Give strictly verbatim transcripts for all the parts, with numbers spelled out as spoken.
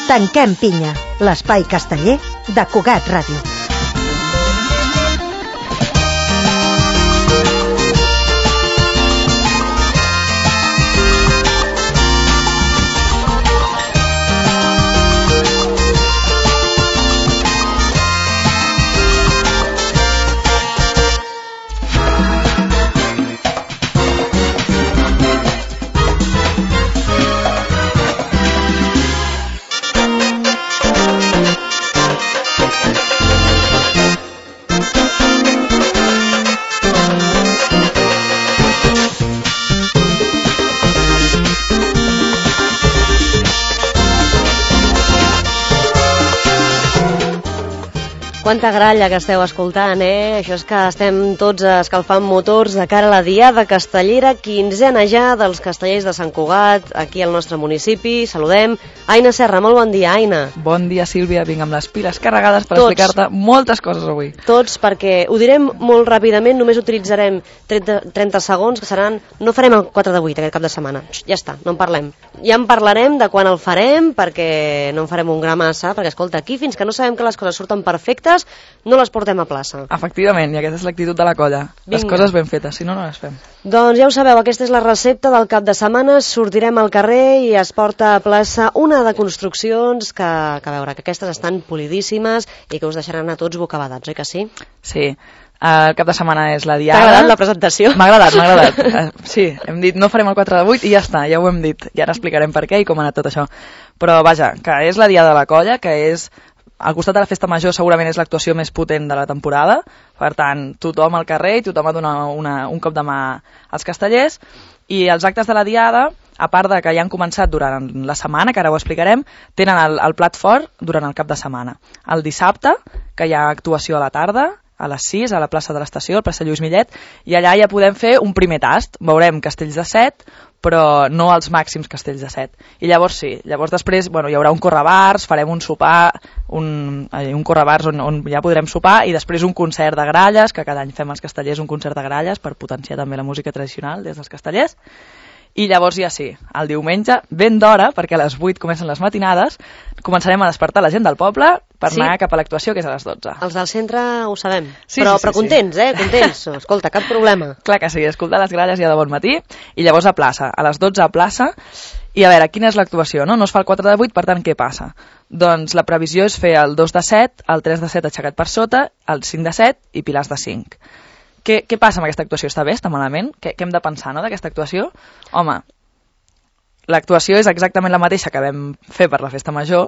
Tanquem pinya, l'espai casteller de Cugat Ràdio. Quanta gralla que esteu escoltant, eh? Això és que estem tots escalfant motors de cara a la Diada Castellera, quinzena ja dels castellers de Sant Cugat, aquí al nostre municipi. Saludem Aina Serra. Molt bon dia, Aina. Bon dia, Sílvia. Vinc amb les piles carregades per tots, explicar-te moltes coses avui. Tots, perquè ho direm molt ràpidament, només utilitzarem trenta, trenta segons, que seran... No farem el quatre de vuit aquest cap de setmana. Ja està, no en parlem. Ja en parlarem de quan el farem, perquè no en farem un gra massa, perquè, escolta, aquí fins que no sabem que les coses surten perfectes, no les portem a plaça. Efectivament, i aquesta és l'actitud de la colla. Vinga. Les coses ben fetes, si no, no les fem. Doncs ja ho sabeu, aquesta és la recepta del cap de setmana. Sortirem al carrer i es porta a plaça una de construccions que, que a veure, que aquestes estan polidíssimes i que us deixaran a tots bocabadats, oi que sí? Sí. El cap de setmana és la Diada. T'ha agradat la presentació? M'ha agradat, m'ha agradat. Sí, hem dit no farem el quatre de vuit i ja està, ja ho hem dit. I ara explicarem per què i com ha anat tot això. Però vaja, que és la Diada de la colla, que és... Al costat de la Festa Major segurament és l'actuació més potent de la temporada, per tant, tothom al carrer i tothom ha donat una, una, un cop de mà als castellers, i els actes de la Diada, a part de que ja han començat durant la setmana, que ara ho explicarem, tenen el, el plat fort durant el cap de setmana. El dissabte, que hi ha actuació a la tarda, a les sis, a la plaça de l'Estació, al plaça Lluís Millet, i allà ja podem fer un primer tast. Veurem castells de set, però no els màxims castells de set. I llavors sí, llavors després bueno, hi haurà un correbars, farem un sopar, un, un correbars on, on ja podrem sopar, i després un concert de gralles, que cada any fem els castellers un concert de gralles per potenciar també la música tradicional des dels castellers. I llavors ja sí, el diumenge, ben d'hora, perquè a les vuit comencen les matinades, començarem a despertar la gent del poble per sí. anar cap a l'actuació, que és a les dotze. Els del centre ho sabem, sí, però, sí, sí, però contents, sí. eh? Contents. Escolta, cap problema. Clar que sí, escoltar les gralles ja de bon matí, i llavors a plaça, a les dotze a plaça, i a veure, quina és l'actuació, no? No es fa el quatre de vuit, per tant, què passa? Doncs la previsió és fer el dos de set, el tres de set aixecat per sota, el cinc de set i pilars de cinc. Què, què passa amb aquesta actuació? Està bé? Està malament? Què, què hem de pensar, no, d'aquesta actuació? Home, l'actuació és exactament la mateixa que vam fer per la Festa Major,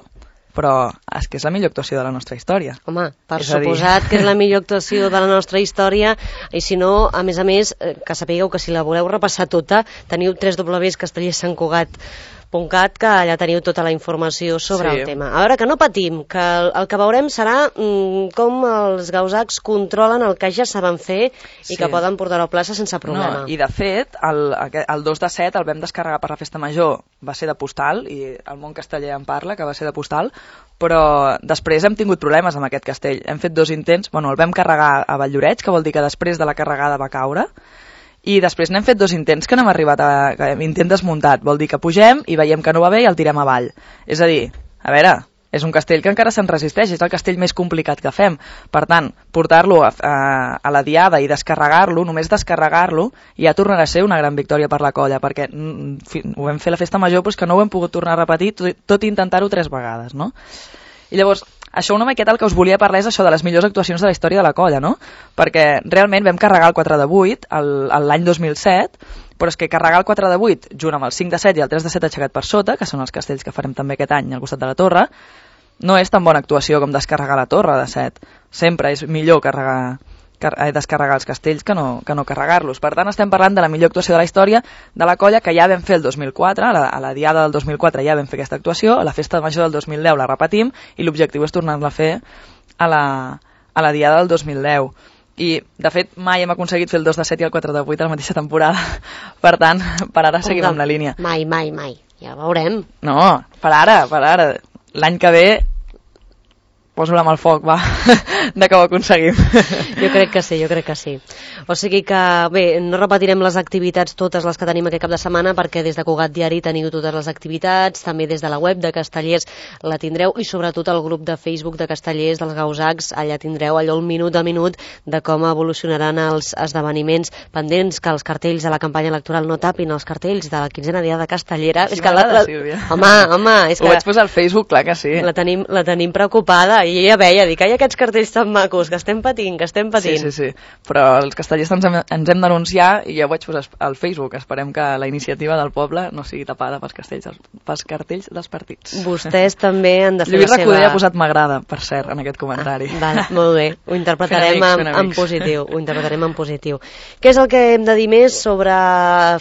però és que és la millor actuació de la nostra història. Home, per suposat que és la millor actuació de la nostra història, i si no, a més a més, que sapigueu que si la voleu repassar tota, teniu tres doble u castellers sant cugat punt cat, que allà teniu tota la informació sobre sí. el tema. A veure, que no patim, que el, el que veurem serà mm, com els gausacs controlen el que ja saben fer i sí. que poden portar-ho a plaça sense problema. No, i de fet, el, el dos de set el vam descarregar per la Festa Major, va ser de postal, i el món casteller en parla, que va ser de postal, però després hem tingut problemes amb aquest castell. Hem fet dos intents, bueno, el vam carregar a Valldoreix, que vol dir que després de la carregada va caure, i després n'hem fet dos intents que no hem arribat a... intent desmuntat, vol dir que pugem i veiem que no va bé i el tirem avall. És a dir, a veure, és un castell que encara se'n resisteix, és el castell més complicat que fem. Per tant, portar-lo a, a, a la Diada i descarregar-lo, només descarregar-lo, ja tornarà a ser una gran victòria per la colla, perquè mm, ho vam fer a la Festa Major, però és que no ho hem pogut tornar a repetir, tot, tot intentar-ho tres vegades, no? I llavors, això una miqueta el que us volia parlar és això de les millors actuacions de la història de la colla, no? Perquè realment vam carregar el quatre de vuit l'any dos mil set, però és que carregar el quatre de vuit junt amb el cinc de set i el tres de set aixecat per sota, que són els castells que farem també aquest any al costat de la torre, no és tan bona actuació com descarregar la torre de set. Sempre és millor carregar, car descarregar els castells que no, que no carregar-los. Per tant, estem parlant de la millor actuació de la història de la colla, que ja vam fer el dos mil quatre, a la, a la Diada del dos mil quatre ja vam fer aquesta actuació, a la Festa Major del dos mil deu la repetim, i l'objectiu és tornar-la a fer a la, a la Diada del dos mil deu. I, de fet, mai hem aconseguit fer el dos de set i el quatre de vuit a la mateixa temporada. Per tant, per ara seguim amb la línia. Mai, mai, mai. Ja veurem. No, per ara, per ara. L'any que ve poso la mà al foc, va, de que ho aconseguim. Jo crec que sí, jo crec que sí. O sigui que, bé, no repetirem les activitats totes les que tenim aquest cap de setmana, perquè des de Cugat Diari teniu totes les activitats, també des de la web de Castellers la tindreu, i sobretot el grup de Facebook de Castellers, dels Gausacs, allà tindreu allò el minut a minut de com evolucionaran els esdeveniments, pendents que els cartells de la campanya electoral no tapin els cartells de la quinzena dia de Castellera. Sí, és que la, la, home, home, és que... Ho vaig posar al Facebook, clar que sí. La tenim, la tenim preocupada, i ella veia, dic, ai, aquests cartells tan macos, que estem patint, que estem patint. Sí, sí, sí, però els castellers ens hem, ens hem d'anunciar, i ja ho vaig posar al Facebook. Esperem que la iniciativa del poble no sigui tapada pels, castells, pels cartells dels partits. Vostès també han de fer Lluís la seva... Recoder ha posat m'agrada, per cert, en aquest comentari. Ah, val, molt bé, ho interpretarem en, en positiu, ho interpretarem en positiu. Què és el que hem de dir més sobre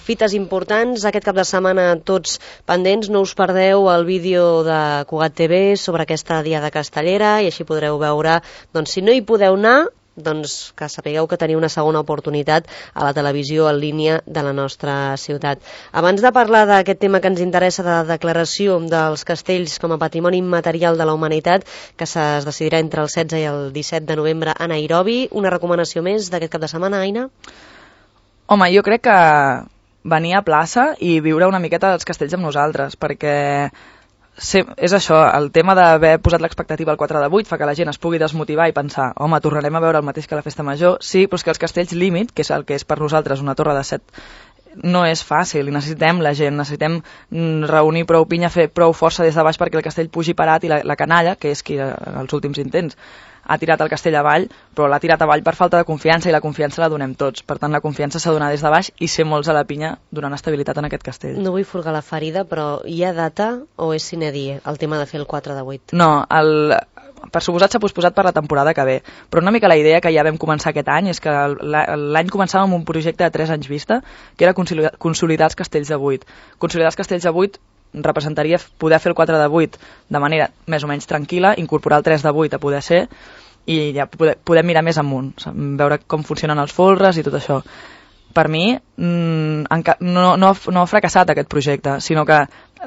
fites importants? Aquest cap de setmana tots pendents, no us perdeu el vídeo de Cugat T V sobre aquesta Diada Castellera, i així podreu veure, doncs si no hi podeu anar, doncs que sapigueu que teniu una segona oportunitat a la televisió en línia de la nostra ciutat. Abans de parlar d'aquest tema que ens interessa, de la declaració dels castells com a patrimoni immaterial de la humanitat, que es decidirà entre el setze i el disset de novembre a Nairobi, una recomanació més d'aquest cap de setmana, Aina? Home, jo crec que venir a plaça i viure una miqueta dels castells amb nosaltres, perquè sí, és això, el tema d'haver posat l'expectativa al quatre de vuit fa que la gent es pugui desmotivar i pensar, home, tornarem a veure el mateix que la festa major. Sí, però és que els castells límit, que és el que és per nosaltres una torre de set, no és fàcil, i necessitem la gent, necessitem reunir prou pinya, fer prou força des de baix perquè el castell pugi parat, i la, la canalla, que és qui en els últims intents ha tirat el castell avall, però l'ha tirat avall per falta de confiança, i la confiança la donem tots. Per tant, la confiança s'ha de donar des de baix i ser molts a la pinya donant estabilitat en aquest castell. No vull furgar la ferida, però hi ha data o és sine die el tema de fer el quatre de vuit? No, el, per suposat s'ha posposat per la temporada que ve, però una mica la idea que ja vam començar aquest any és que l'any començàvem amb un projecte de tres anys vista, que era consolidar, consolidar els castells de vuit. Consolidar els castells de vuit representaria poder fer el quatre de vuit de manera més o menys tranquil·la, incorporar el tres de vuit a poder ser, i ja poder, poder mirar més amunt, veure com funcionen els folres i tot això. Per mi mmm, no, no, no ha fracassat aquest projecte, sinó que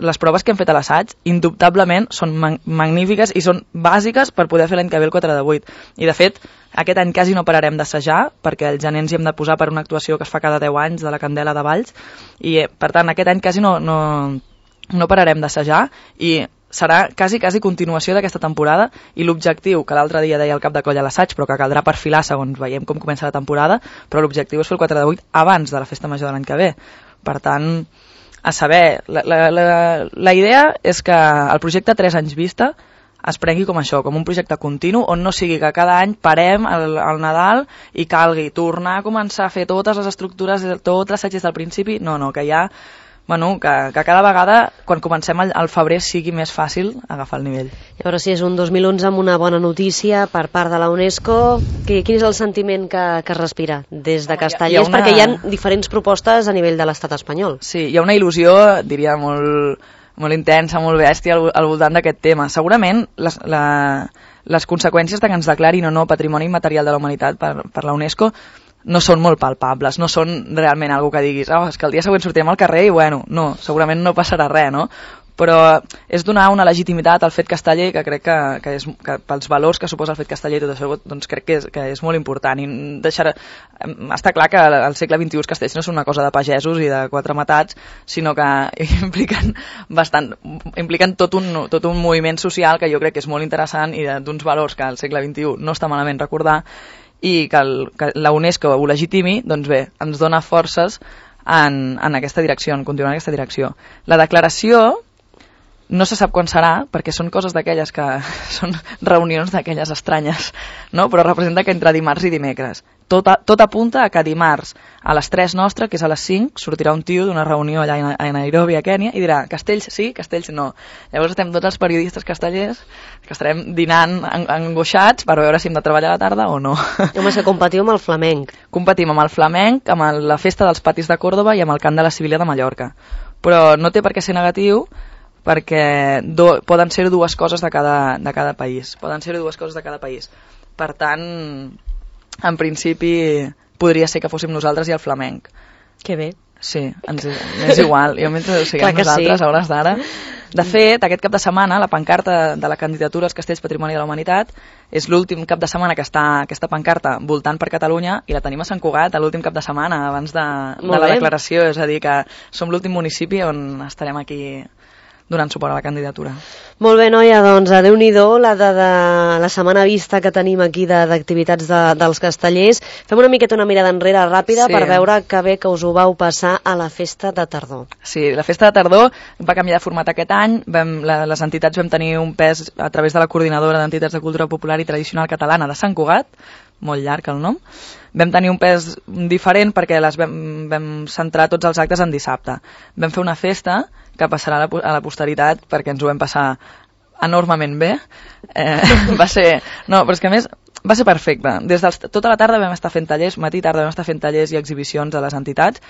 les proves que hem fet a l'assaig indubtablement són mag magnífiques i són bàsiques per poder fer l'any que ve el quatre de vuit. I de fet, aquest any quasi no pararem d'assajar, perquè el gener ens hi hem de posar per una actuació que es fa cada deu anys de la Candela de Valls, i per tant aquest any quasi no, no, no pararem d'assajar, i serà quasi, quasi continuació d'aquesta temporada, i l'objectiu, que l'altre dia deia el cap de colla a l'assaig, però que caldrà perfilar segons veiem com comença la temporada, però l'objectiu és fer el quatre de vuit abans de la festa major de l'any que ve. Per tant, a saber, la, la, la, la idea és que el projecte tres anys vista es prengui com això, com un projecte continu, on no sigui que cada any parem al, al Nadal i calgui tornar a començar a fer totes les estructures, tot l'assaig des del principi. No, no, que ja... Bueno, que, que cada vegada, quan comencem al, al febrer, sigui més fàcil agafar el nivell. Llavors, si és un dos mil onze amb una bona notícia per part de la UNESCO, que, quin és el sentiment que, que es respira des de Castellers? Hi ha una... Perquè hi ha diferents propostes a nivell de l'estat espanyol. Sí, hi ha una il·lusió, diria, molt, molt intensa, molt bèstia al, al voltant d'aquest tema. Segurament les, la, les conseqüències de que ens declarin o no Patrimoni Immaterial de la Humanitat per, per la UNESCO no són molt palpables, no són realment algo que diguis, oh, és que el dia següent sortirem al carrer i bueno, no, segurament no passarà res, no? Però és donar una legitimitat al fet casteller, que crec que, que, és, que pels valors que suposa el fet casteller i tot això, doncs crec que és, que és molt important. I deixar, està clar que al segle vint-i-u els castells no són una cosa de pagesos i de quatre matats, sinó que impliquen bastant, impliquen tot un, tot un moviment social que jo crec que és molt interessant i d'uns valors que al segle vint-i-u no està malament recordar, i que, el, que la UNESCO ho legitimi, doncs bé, ens dona forces en, en aquesta direcció, en continuar en aquesta direcció. La declaració no se sap quan serà, perquè són coses d'aquelles que són reunions d'aquelles estranyes, no? Però representa que entre dimarts i dimecres. Tot, a, tot apunta a que dimarts a les tres nostre, que és a les cinc, sortirà un tio d'una reunió allà a Nairobi, a Kènia, i dirà, castells sí, castells no. Llavors estem tots els periodistes castellers que estarem dinant angoixats per veure si hem de treballar a la tarda o no. Home, se competiu amb el flamenc. Competim amb el flamenc, amb el, la festa dels patis de Còrdoba i amb el cant de la Sibília de Mallorca. Però no té per què ser negatiu, perquè do, poden ser dues coses de cada, de cada país. Poden ser dues coses de cada país. Per tant, en principi, podria ser que fóssim nosaltres i el flamenc. Que bé. Sí, ens, és igual. Jo mentre ho siguem nosaltres, sí. a hores d'ara. De fet, aquest cap de setmana, la pancarta de la candidatura als Castells Patrimoni de la Humanitat és l'últim cap de setmana que està aquesta pancarta voltant per Catalunya i la tenim a Sant Cugat l'últim cap de setmana abans de, de la declaració. És a dir, que som l'últim municipi on estarem aquí donant suport a la candidatura. Molt bé, noia, doncs a Déu-n'hi-do la, de, de, la setmana vista que tenim aquí d'activitats de, de, dels castellers. Fem una miqueta una mirada enrere ràpida sí. per veure que bé que us ho vau passar a la festa de tardor. Sí, la festa de tardor va canviar de format aquest any. Vam, la, les entitats vam tenir un pes a través de la Coordinadora d'Entitats de Cultura Popular i Tradicional Catalana de Sant Cugat, molt llarg el nom. Vam tenir un pes diferent perquè les vam, vam centrar tots els actes en dissabte. Vam fer una festa que passarà a la, a la posteritat perquè ens ho vam passar enormement bé. Eh, va ser... No, però és que a més va ser perfecte. Des dels, tota la tarda vam estar fent tallers, matí i tarda vam estar fent tallers i exhibicions a les entitats.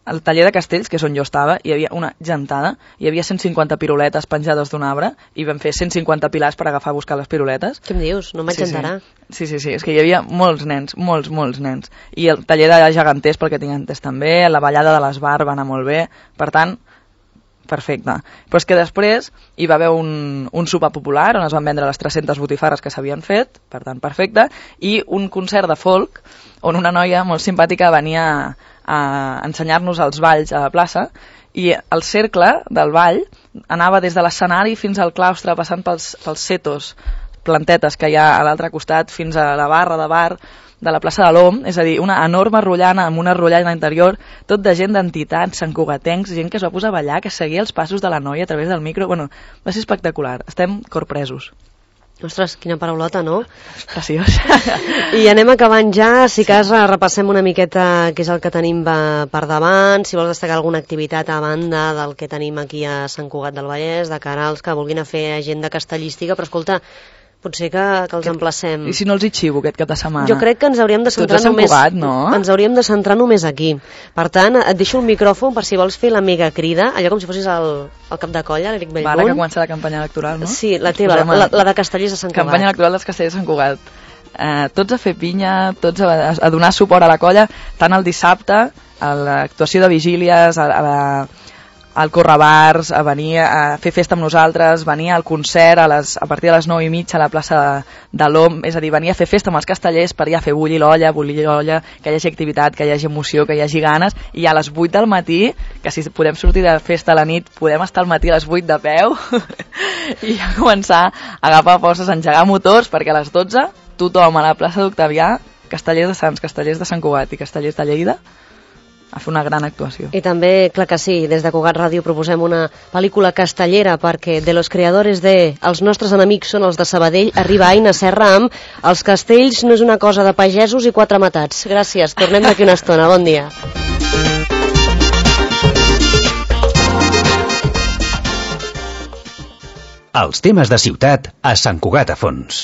Al taller de Castells, que és on jo estava, hi havia una gentada, hi havia cent cinquanta piruletes penjades d'un arbre i vam fer cent cinquanta pilars per agafar a buscar les piruletes. Què em dius? No m'engentarà. Sí, sí, sí, sí, és que hi havia molts nens, molts, molts nens. I el taller de geganters, pel que tinc entès també, la ballada de l'Esbar va anar molt bé, per tant, perfecte. Però és que després hi va haver un, un sopar popular on es van vendre les tres-centes botifarres que s'havien fet, per tant, perfecte, i un concert de folk on una noia molt simpàtica venia a ensenyar-nos els balls a la plaça i el cercle del ball anava des de l'escenari fins al claustre passant pels, pels setos, plantetes que hi ha a l'altre costat fins a la barra de bar de la plaça de l'Om, és a dir, una enorme rotllana amb una rotllana interior, tot de gent d'entitats, santcugatencs, gent que es va posar a ballar, que seguia els passos de la noia a través del micro. Bueno, va ser espectacular. Estem corpresos. Ostres, quina paraulota, no? Preciós. I anem acabant ja, si cas repassem una miqueta què és el que tenim per davant, si vols destacar alguna activitat a banda del que tenim aquí a Sant Cugat del Vallès, de cara als que vulguin a fer agenda castellística, però escolta, potser que, que els emplacem. I si no els hi xivo aquest cap de setmana? Jo crec que ens hauríem de centrar només... Cugat, no? Ens hauríem de centrar només aquí. Per tant, et deixo el micròfon per si vols fer la mega crida, allò com si fossis el, el cap de colla, l'Eric Bellmunt. Ara que comença la campanya electoral, no? Sí, la teva, la, la, la de Castellers de Sant Cugat. Campanya electoral dels Castellers de Sant Cugat. Eh, tots a fer pinya, tots a, a donar suport a la colla, tant el dissabte, a l'actuació de vigílies, a, a la... al Correbars, a venir a fer festa amb nosaltres, venir al concert a, les, a partir de les nou i mitja a la plaça de, de l'Om, és a dir, venir a fer festa amb els castellers per ja fer bullir l'olla, bullir l'olla, que hi hagi activitat, que hi hagi emoció, que hi hagi ganes, i a les vuit del matí, que si podem sortir de festa a la nit, podem estar al matí a les vuit de peu, i ja començar a agafar forces, a engegar motors, perquè a les dotze tothom a la plaça d'Octavià, castellers de Sants, castellers de Sant Cugat i castellers de Lleida, a fer una gran actuació. I també, clar que sí, des de Cugat Ràdio proposem una pel·lícula castellera perquè de los creadores de Els nostres enemics són els de Sabadell arriba Aina Serra amb Els castells no és una cosa de pagesos i quatre matats. Gràcies, tornem d'aquí una estona. Bon dia. Els temes de ciutat a Sant Cugat a Fons.